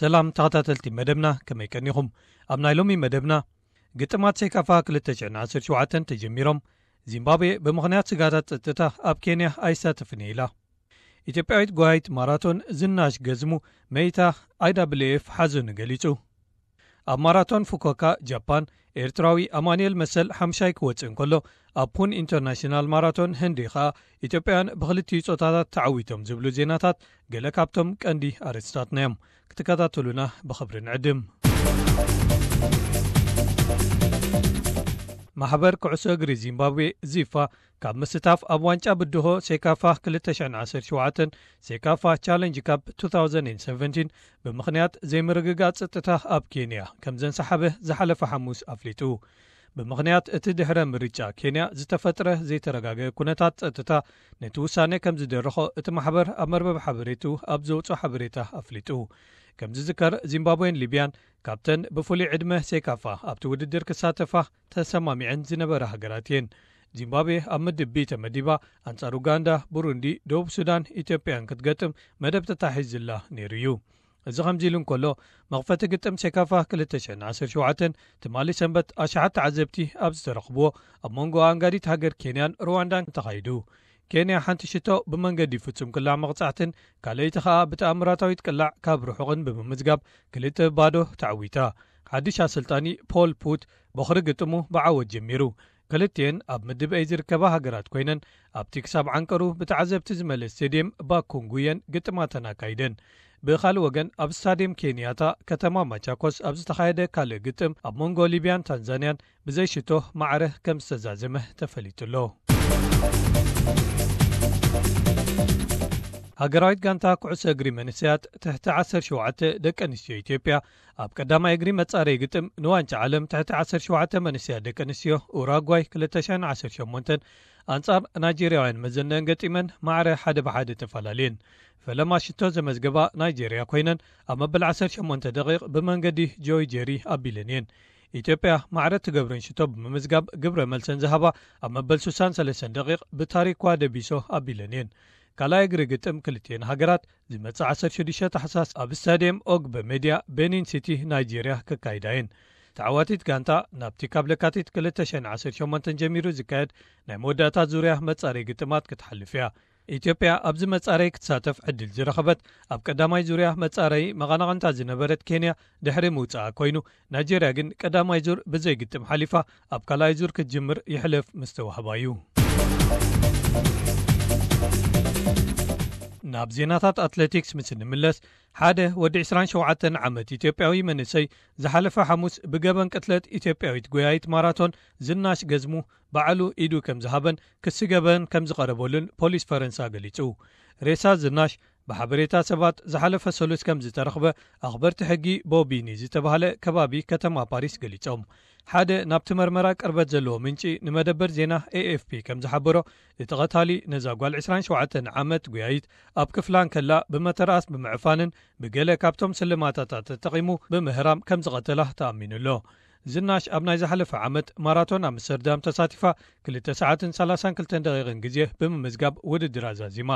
ሰላም ተኸታተልቲ መደብና፣ ከመይ ቀኒኹም? ኣብ ናይ ሎሚ መደብና፣ ግጥማት ሴካፋ ክልተ ሽሕን ዓሰርተ ሸውዓተን ተጀሚሮም። ዚምባብዌ ብምኽንያት ስጋታት ጸጥታ ኣብ ኬንያ ኣይሳተፍን እየ ኢላ። ኢትዮጵያዊት ጓይት ማራቶን ዝናሽ ገዝሙ መይታ፣ ኣይዳብልኤፍ ሓዘኑ ገሊጹ። ኣብ ማራቶን ፉኮካ ጃፓን፣ ኤርትራዊ ኣማኑኤል መሰል ሓምሻይ ክወጽእ እንከሎ፣ ኣብ ፑን ኢንተርናሽናል ማራቶን ህንዲ ኸኣ ኢትዮጵያውያን ብኽልቲኡ ጾታታት ተዓዊቶም ዝብሉ ዜናታት ገለ ካብቶም ቀንዲ ኣርእስታትና እዮም። ክትከታተሉና ብኽብሪ ንዕድም። ማሕበር ኩዕሶ እግሪ ዚምባብዌ፣ ዚፋ፣ ካብ ምስታፍ ኣብ ዋንጫ ብድሆ ሴካፋ ክልተ ሽሕን ዓሰርተ ሸውዓተን፣ ሴካፋ ቻለንጅ ካፕ ቱ ታውዘንድ ሰቨንቲን፣ ብምኽንያት ዘይምርግጋእ ጸጥታ ኣብ ኬንያ ከም ዘንሰሓበ ዝሓለፈ ሓሙስ ኣፍሊጡ። ብምኽንያት እቲ ድሕረ ምርጫ ኬንያ ዝተፈጥረ ዘይተረጋገ ኩነታት ጸጥታ፣ ነቲ ውሳኔ ከም ዝደረኾ እቲ ማሕበር ኣብ መርበብ ሓበሬቱ ኣብ ዘውጽኦ ሓበሬታ ኣፍሊጡ። ከም ዝዝከር፣ ዚምባብዌን ሊብያን ካብተን ብፍሉይ ዕድመ ሴካፋ ኣብቲ ውድድር ክሳተፋ ተሰማሚዐን ዝነበራ ሃገራት እየን። ዚምባብዌ ኣብ ምድብ ቢ ተመዲባ፣ ኣንጻር ኡጋንዳ፣ ቡሩንዲ፣ ደቡብ ሱዳን፣ ኢትዮጵያን ክትገጥም መደብ ተታሒዝላ ነይሩ እዩ። እዚ ከምዚ ኢሉ እንከሎ፣ መኽፈቲ ግጥም ሴካፋ ክልተ ሽሕን ዓሰርተ ሸውዓተን ትማሊ ሰንበት ኣሽሓት ተዓዘብቲ ኣብ ዝተረኽብዎ፣ ኣብ መንጎ ኣንጋዲት ሃገር ኬንያን ሩዋንዳን ተኻይዱ። ኬንያ ሓንቲ ሽቶ ብመንገዲ ፍጹም ቅላዕ መቕጻዕትን ካልኣይቲ ኸኣ ብተኣምራታዊት ቅላዕ ካብ ርሑቕን ብምምዝጋብ ክልተ ባዶ ተዓዊታ። ሓድሽ ኣሰልጣኒ ፖል ፑት ቦኽሪ ግጥሙ ብዓወት ጀሚሩ። ክልቲኤን ኣብ ምድብ ኤ ዝርከባ ሃገራት ኮይነን፣ ኣብቲ ክሳብ ዓንቀሩ ብተዓዘብቲ ዝመልእ ስቴድየም ባኩንጉ እየን ግጥማተን ኣካይደን። ብኻልእ ወገን፣ ኣብ ስታድየም ኬንያታ ከተማ ማቻኮስ ኣብ ዝተኻየደ ካልእ ግጥም፣ ኣብ መንጎ ሊብያን ታንዛንያን ብዘይ ሽቶ ማዕረ ከም ዝተዛዘመ ተፈሊጡ ኣሎ። ሃገራዊት ጋንታ ኩዕሶ እግሪ መንእሰያት ትሕቲ ዓሰርተ ሸውዓተ ደቂ ኣንስትዮ ኢትዮጵያ፣ ኣብ ቀዳማይ እግሪ መጻረዪ ግጥም ንዋንጫ ዓለም ትሕቲ ዓሰርተ ሸውዓተ መንእሰያት ደቂ ኣንስትዮ ኡራጓይ ክልተ ሽሕን ዓሰርተ ሸሞንተን ኣንጻር ናይጄርያውያን መዘነን ገጢመን ማዕረ ሓደ ብሓደ ተፈላለየን። ፈለማ ሽቶ ዘመዝገባ ናይጄርያ ኮይነን፣ ኣብ መበል ዓሰርተ ሸሞንተ ደቂቕ ብመንገዲ ጆይ ጄሪ ኣቢለን እየን። ኢትዮጵያ ማዕረ ትገብረን ሽቶ ብምምዝጋብ ግብረ መልሰን ዝሃባ፣ ኣብ መበል ስሳን ሰለስተን ደቂቕ ብታሪኳ ደቢሶ ኣቢለን እየን። ካልኣይ እግሪ ግጥም ክልቲኤን ሃገራት ዝመጽእ ዓሰርተ ሽዱሽተ ታሕሳስ ኣብ ስታድየም ኦግበ ሜድያ፣ ቤኒን ሲቲ፣ ናይጄርያ፣ ክካይዳ እየን። ተዓዋቲት ጋንታ ናብቲ ካብ ለካቲት ክልተ ሽሕን ዓሰርተ ሸሞንተን ጀሚሩ ዝካየድ ናይ መወዳእታ ዙርያ መጻረዪ ግጥማት ክትሓልፍ እያ። ኢትዮጵያ ኣብዚ መጻረዪ ክትሳተፍ ዕድል ዝረኸበት፣ ኣብ ቀዳማይ ዙርያ መጻረዪ መቐናቕንታ ዝነበረት ኬንያ ድሕሪ ምውጻኣ ኮይኑ፣ ናይጄርያ ግን ቀዳማይ ዙር ብዘይ ግጥም ሓሊፋ፣ ኣብ ካልኣይ ዙር ክትጅምር ይሕለፍ ምስ ተዋህባ እዩ። ናብ ዜናታት ኣትሌቲክስ ምስ እንምለስ፣ ሓደ ወዲ ዕስራን ሸውዓተን ዓመት ኢትዮጵያዊ መንእሰይ ዝሓለፈ ሓሙስ ብገበን ቅትለት ኢትዮጵያዊት ጎያይት ማራቶን ዝናሽ ገዝሙ ባዕሉ ኢዱ ከም ዝሃበን ክሲ ገበን ከም ዝቐረበሉን ፖሊስ ፈረንሳ ገሊጹ። ሬሳ ዝናሽ ብሓበሬታ ሰባት ዝሓለፈ ሰሉስ ከም ዝተረኽበ ኣኽበርቲ ሕጊ ቦቢኒ ዝተባህለ ከባቢ ከተማ ፓሪስ ገሊጾም። ሓደ ናብቲ መርመራ ቅርበት ዘለዎ ምንጪ ንመደበር ዜና ኤ ኤፍ ፒ ከም ዝሓበሮ፣ እቲ ቐታሊ ነዛ ጓል ዕስራን ሸውዓተን ዓመት ጉያይት ኣብ ክፍላ እንከላ ብመተርኣስ ብምዕፋንን ብገለ ካብቶም ስልማታታ ተጠቒሙ ብምህራም ከም ዝቐተላ ተኣሚኑ ኣሎ። ዝናሽ ኣብ ናይ ዝሓለፈ ዓመት ማራቶን ኣምስተርዳም ተሳቲፋ ክልተ ሰዓትን ሰላሳን ክልተን ደቂቕን ግዜ ብምምዝጋብ ውድድር ኣዛዚማ።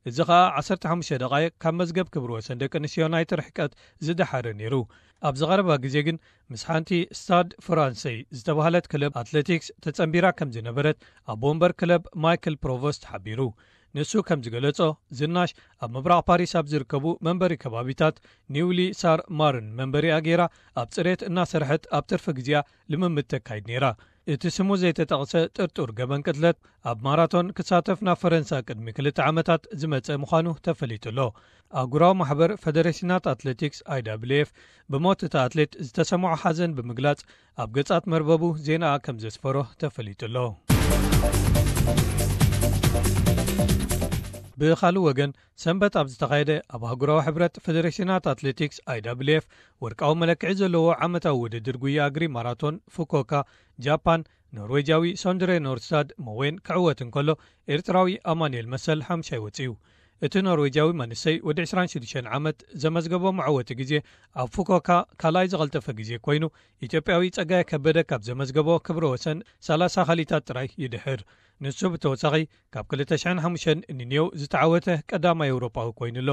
እዚ ኸኣ ዓሰርተ ሓሙሽተ ደቓይቕ ካብ መዝገብ ክብሪ ወሰን ደቂ ኣንስትዮ ናይቲ ርሕቀት ዝደሓረ ነይሩ። ኣብ ዝቐረባ ግዜ ግን ምስ ሓንቲ ስታድ ፍራንሰይ ዝተባህለት ክለብ ኣትሌቲክስ ተጸንቢራ ከም ዝነበረት ኣቦ ወንበር ክለብ ማይክል ፕሮቮስት ሓቢሩ። ንሱ ከም ዝገለጾ፣ ዝናሽ ኣብ ምብራቕ ፓሪስ ኣብ ዝርከቡ መንበሪ ከባቢታት ኒውሊ ሳር ማርን መንበሪኣ ገይራ ኣብ ጽሬት እናሰርሐት ኣብ ትርፊ ግዜኣ ልምምድ ተካይድ ነይራ። እቲ ስሙ ዘይተጠቕሰ ጥርጡር ገበን ቅትለት ኣብ ማራቶን ክሳተፍ ናብ ፈረንሳ ቅድሚ ክልተ ዓመታት ዝመጸ ምዃኑ ተፈሊጡ ኣሎ። ኣህጉራዊ ማሕበር ፈደሬሽናት ኣትሌቲክስ፣ ኣይ ዳብልዩ ኤፍ፣ ብሞት እቲ ኣትሌት ዝተሰምዖ ሓዘን ብምግላጽ፣ ኣብ ገጻት መርበቡ ዜናኣ ከም ዘስፈሮ ተፈሊጡ ኣሎ። ብኻልእ ወገን፣ ሰንበት ኣብ ዝተኻየደ ኣብ ኣህጉራዊ ሕብረት ፈደሬሽናት ኣትሌቲክስ፣ ኣይ ዳብልዩ ኤፍ፣ ወርቃዊ መለክዒ ዘለዎ ዓመታዊ ውድድር ጉያ እግሪ ማራቶን ፉኮካ ጃፓን፣ ኖርዌጃዊ ሶንድሬ ኖርሳድ ሞዌን ክዕወት እንከሎ፣ ኤርትራዊ ኣማኑኤል መሰል ሓምሻይ ወጺኡ። እቲ ኖርዌጃዊ መንእሰይ ወዲ ዕስራን ሽዱሽተን ዓመት ዘመዝገቦ መዕወቲ ግዜ ኣብ ፉኮካ ካልኣይ ዝቐልጠፈ ግዜ ኮይኑ፣ ኢትዮጵያዊ ጸጋይ ከበደ ካብ ዘመዝገቦ ክብረ ወሰን ሰላሳ ካልኢታት ጥራይ ይድሕር። ንሱ ብተወሳኺ ካብ ክልተ ሽሕን ሓሙሽተን ንኔው ዝተዓወተ ቀዳማይ ኤውሮጳዊ ኮይኑ ኣሎ።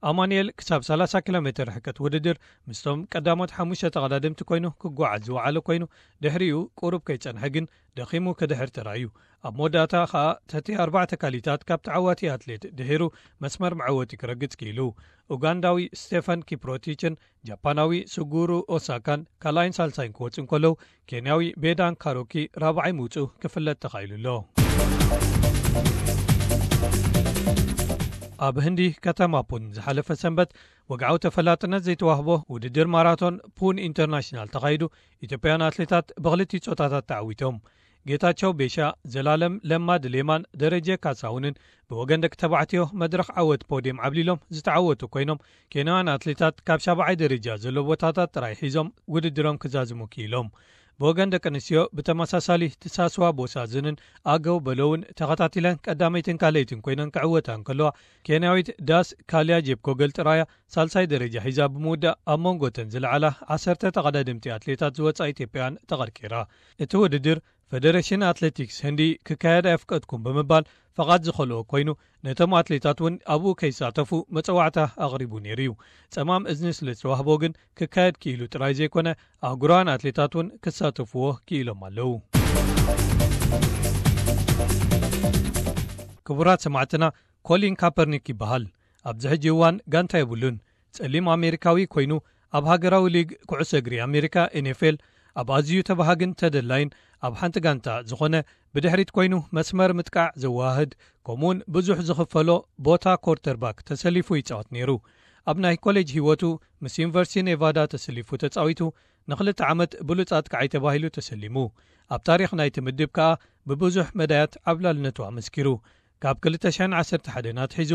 ኣማኑኤል ክሳብ ሰላሳ ኪሎ ሜትር ርሕቀት ውድድር ምስቶም ቀዳሞት ሓሙሽተ ተቐዳደምቲ ኮይኑ ክጓዓዝ ዝወዓለ ኮይኑ፣ ድሕሪኡ ቁሩብ ከይጸንሐ ግን ደኺሙ ክድሕር ተራእዩ። ኣብ መወዳእታ ኸኣ ተቲ ኣርባዕተ ካሊታት ካብ ተዓዋቲ ኣትሌት ድሒሩ መስመር መዐወቲ ክረግጽ ክኢሉ። ኡጋንዳዊ ስቴፈን ኪፕሮቲችን ጃፓናዊ ሱጉሩ ኦሳካን ካልኣይን ሳልሳይን ክወጽኡ እንከለዉ፣ ኬንያዊ ቤዳን ካሮኪ ራብዓይ ምውጽኡ ክፍለጥ ተኻኢሉ ኣሎ። ኣብ ህንዲ ከተማ ፑን ዝሓለፈ ሰንበት ወግዓዊ ተፈላጥነት ዘይተዋህቦ ውድድር ማራቶን ፑን ኢንተርናሽናል ተኻይዱ፣ ኢትዮጵያውያን ኣትሌታት ብኽልቲኡ ጾታታት ተዓዊቶም። ጌታቸው ቤሻ፣ ዘላለም ለማ ድሌማን ደረጀ ካሳሁንን ብወገን ደቂ ተባዕትዮ መድረኽ ዓወት ፖድየም ዓብሊሎም ዝተዓወቱ ኮይኖም፣ ኬንያውያን ኣትሌታት ካብ ሻብዓይ ደረጃ ዘሎ ቦታታት ጥራይ ሒዞም ውድድሮም ክዛዝሙ ክኢሎም። ብወገን ደቂ ኣንስትዮ ብተመሳሳሊ ትሳስዋ ቦሳዝንን ኣገው በለውን ተኸታቲለን ቀዳመይትን ካልኣይትን ኮይነን ክዕወታ እንከለዋ፣ ኬንያዊት ዳስ ካልያ ጄፕኮገል ጥራያ ሳልሳይ ደረጃ ሒዛ ብምውዳእ ኣብ መንጎተን ዝለዓላ ዓሰርተ ተቐዳደምቲ ኣትሌታት ዝወጻ ኢትዮጵያውያን ተቐርቂራ። እቲ ውድድር ፈደረሽን ኣትሌቲክስ ህንዲ ክካየድ ኣየፍቀድኩም ብምባል ፈቓድ ዝኸልኦ ኮይኑ፣ ነቶም ኣትሌታት እውን ኣብኡ ከይሳተፉ መጸዋዕታ ኣቕሪቡ ነይሩ እዩ። ጸማም እዝኒ ስለ ዝተዋህቦ ግን ክካየድ ክኢሉ ጥራይ ዘይኮነ፣ ኣህጉራውያን ኣትሌታት እውን ክሳተፍዎ ክኢሎም ኣለዉ። ክቡራት ሰማዕትና፣ ኮሊን ካፐርኒክ ይበሃል። ኣብዚ ሕጂ እዋን ጋንታ የብሉን። ጸሊም ኣሜሪካዊ ኮይኑ፣ ኣብ ሃገራዊ ሊግ ኩዕሶ እግሪ ኣሜሪካ፣ ኤን ኤፍ ኤል፣ ኣብ ኣዝዩ ተባሃግን ተደላይን ኣብ ሓንቲ ጋንታ ዝኾነ፣ ብድሕሪት ኮይኑ መስመር ምጥቃዕ ዘወሃህድ፣ ከምኡውን ብዙሕ ዝኽፈሎ ቦታ ኮርተርባክ ተሰሊፉ ይጻወት ነይሩ። ኣብ ናይ ኮሌጅ ህይወቱ ምስ ዩኒቨርሲቲ ኔቫዳ ተሰሊፉ ተጻዊቱ፣ ንኽልተ ዓመት ብሉጽ ኣጥቃዓይ ተባሂሉ ተሰሊሙ። ኣብ ታሪኽ ናይቲ ምድብ ከኣ ብብዙሕ መዳያት ዓብላልነቱ ኣመስኪሩ። ካብ ክልተ ሽሕን ዓሰርተ ሓደን ኣትሒዙ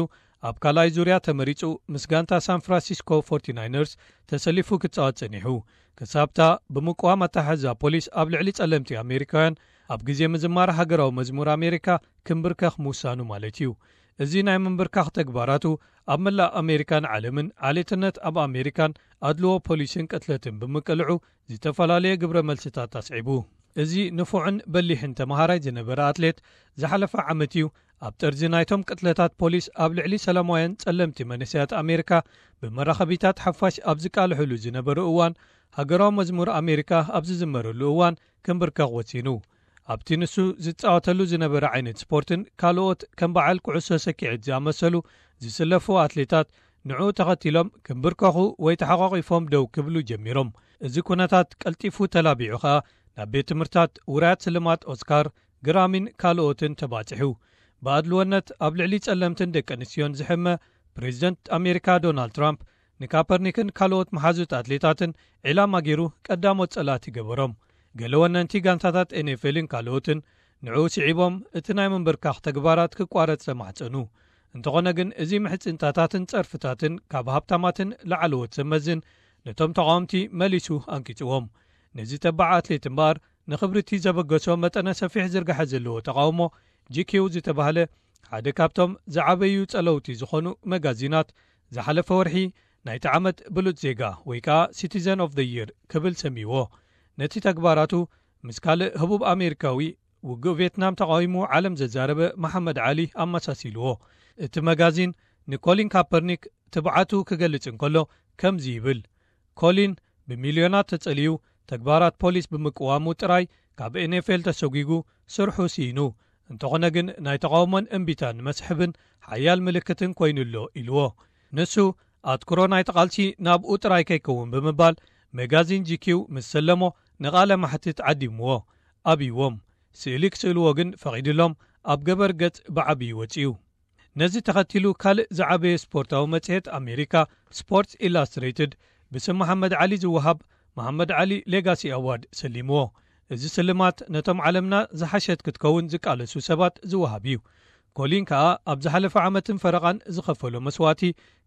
ኣብ ካልኣይ ዙርያ ተመሪጹ ምስ ጋንታ ሳን ፍራንሲስኮ ፎርቲ ናይነርስ ተሰሊፉ ክጻወት ጸኒሑ። ክሳብታ ብምቅዋም ኣተሓሕዛ ፖሊስ ኣብ ልዕሊ ጸለምቲ ኣሜሪካውያን ኣብ ግዜ ምዝማር ሃገራዊ መዝሙር ኣሜሪካ ክምብርከኽ ምውሳኑ ማለት እዩ። እዚ ናይ ምንብርካኽ ተግባራቱ ኣብ መላእ ኣሜሪካን ዓለምን ዓሌትነት ኣብ ኣሜሪካን ኣድልዎ ፖሊስን ቅትለትን ብምቅልዑ ዝተፈላለየ ግብረ መልስታት ኣስዒቡ። እዚ ንፉዕን በሊሕን ተመሃራይ ዝነበረ ኣትሌት ዝሓለፈ ዓመት እዩ ኣብ ጠርዚ ናይቶም ቅትለታት ፖሊስ ኣብ ልዕሊ ሰላማውያን ጸለምቲ መንእሰያት ኣሜሪካ ብመራኸቢታት ሓፋሽ ኣብ ዝቃልሕሉ ዝነበሩ እዋን፣ ሃገራዊ መዝሙር ኣሜሪካ ኣብ ዝዝመረሉ እዋን ክምብርከኽ ወሲኑ። ኣብቲ ንሱ ዝጻወተሉ ዝነበረ ዓይነት ስፖርትን ካልኦት ከም በዓል ኩዕሶ ሰኪዔት ዝኣመሰሉ ዝስለፉ ኣትሌታት ንዕኡ ተኸቲሎም ክምብርከኹ ወይ ተሓቋቒፎም ደው ክብሉ ጀሚሮም። እዚ ኩነታት ቀልጢፉ ተላቢዑ ኸኣ ናብ ቤት ትምህርታት ውራያት ስልማት ኦስካር፣ ግራሚን ካልኦትን ተባጺሑ። ብኣድልወነት ኣብ ልዕሊ ጸለምትን ደቂ ኣንስትዮን ዝሕመ ፕሬዚደንት ኣሜሪካ ዶናልድ ትራምፕ ንካፐርኒክን ካልኦት መሓዙት ኣትሌታትን ዒላማ ገይሩ ቀዳሞት ጸላእቲ ገበሮም። ገለ ወነንቲ ጋንታታት ኤን ኤፍ ኤልን ካልኦትን ንዕኡ ስዒቦም እቲ ናይ ምንብርካኽ ተግባራት ክቋረጽ ተማሕጸኑ። እንተኾነ ግን እዚ ምሕጽንታታትን ጸርፍታትን ካብ ሃብታማትን ላዕለዎት ሰብ መዝን ነቶም ተቓወምቲ መሊሱ ኣንቂጽዎም። ነዚ ተባዕ ኣትሌት እምበኣር ንኽብሪ እቲ ዘበገሶ መጠነ ሰፊሕ ዝርጋሐ ዘለዎ ተቓውሞ ጂ ኪው ዝተባህለ ሓደ ካብቶም ዝዓበዩ ጸለውቲ ዝኾኑ መጋዚናት ዝሓለፈ ወርሒ ናይቲ ዓመት ብሉጽ ዜጋ ወይ ከኣ ሲቲዘን ኦፍ ዘ ይር ክብል ሰምይዎ። ነቲ ተግባራቱ ምስ ካልእ ህቡብ ኣሜሪካዊ ውግእ ቬትናም ተቓዊሙ ዓለም ዘዛረበ መሓመድ ዓሊ ኣመሳሲልዎ። እቲ መጋዚን ንኮሊን ካፐርኒክ ትብዓቱ ክገልጽ እንከሎ ከምዚ ይብል፣ ኮሊን ብሚልዮናት ተጸልዩ ተግባራት ፖሊስ ብምቅዋሙ ጥራይ ካብ ኤን ኤፍ ኤል ተሰጒጉ ስርሑ ስኢኑ። እንተኾነ ግን ናይ ተቓውሞን እምቢታን መስሕብን ሓያል ምልክትን ኮይኑ ኣሎ ኢልዎ። ንሱ ኣትኩሮ ናይቲ ቃልሲ ናብኡ ጥራይ ከይከውን ብምባል መጋዚን ጂ ኪው ምስ ሰለሞ ንቓለ ማሕትት ዓዲምዎ ኣብይዎም። ስእሊ ክስእልዎ ግን ፈቒድሎም ኣብ ገበር ገጽ ብዓብዪ ወጺኡ። ነዚ ተኸቲሉ ካልእ ዝዓበየ ስፖርታዊ መጽሔት ኣሜሪካ ስፖርትስ ኢላስትሬትድ ብስም መሓመድ ዓሊ ዝወሃብ መሓመድ ዓሊ ሌጋሲ ኣዋርድ ሰሊምዎ። እዚ ስልማት ነቶም ዓለምና ዝሓሸት ክትከውን ዝቃለሱ ሰባት ዝወሃብ እዩ። ኮሊን ከኣ ኣብ ዝሓለፈ ዓመትን ፈረቓን ዝኸፈሎ መስዋእቲ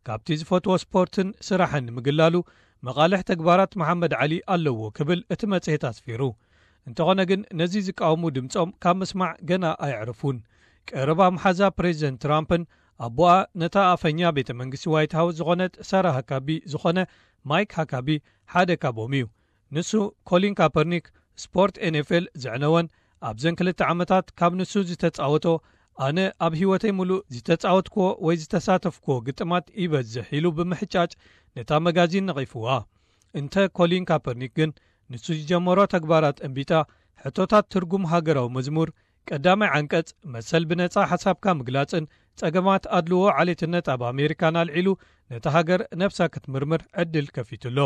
ካብቲ ዝፈትዎ ስፖርትን ስራሕን ንምግላሉ መቓልሕ ተግባራት መሓመድ ዓሊ ኣለዎ ክብል እቲ መጽሔት ኣስፊሩ። እንተኾነ ግን ነዚ ዝቃወሙ ድምጾም ካብ ምስማዕ ገና ኣየዕረፉን። ቀረባ መሓዛ ፕሬዚደንት ትራምፕን ኣቦኣ ነታ ኣፈኛ ቤተ መንግስቲ ዋይት ሃውስ ዝኾነት ሳራ ሃካቢ ዝኾነ ማይክ ሃካቢ ሓደ ካብኦም እዩ። ንሱ ኮሊን ካፐርኒክ ስፖርት ኤን ኤፍ ኤል ዘዕነወን ኣብዘን ክልተ ዓመታት ካብ ንሱ ዝተጻወቶ ኣነ ኣብ ህይወተይ ሙሉእ ዝተጻወትክዎ ወይ ዝተሳተፍክዎ ግጥማት ይበዝሕ ኢሉ ብምሕጫጭ ነታ መጋዚን ነቒፍዋ። እንተ ኮሊን ካፐርኒክ ግን ንሱ ዝጀመሮ ተግባራት እንቢጣ፣ ሕቶታት ትርጉም ሃገራዊ መዝሙር፣ ቀዳማይ ዓንቀጽ መሰል ብነጻ ሓሳብካ ምግላጽን ጸገማት ኣድልዎ ዓሌትነት ኣብ ኣሜሪካን ኣልዒሉ ነታ ሃገር ነብሳ ክትምርምር ዕድል ከፊቱ ኣሎ።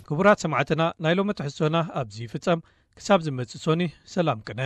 ክቡራት ሰማዕትና፣ ናይ ሎሚ ትሕዝቶና ኣብዚ ይፍጸም። ክሳብ ዝመጽእ ሶኒ፣ ሰላም ቅነ።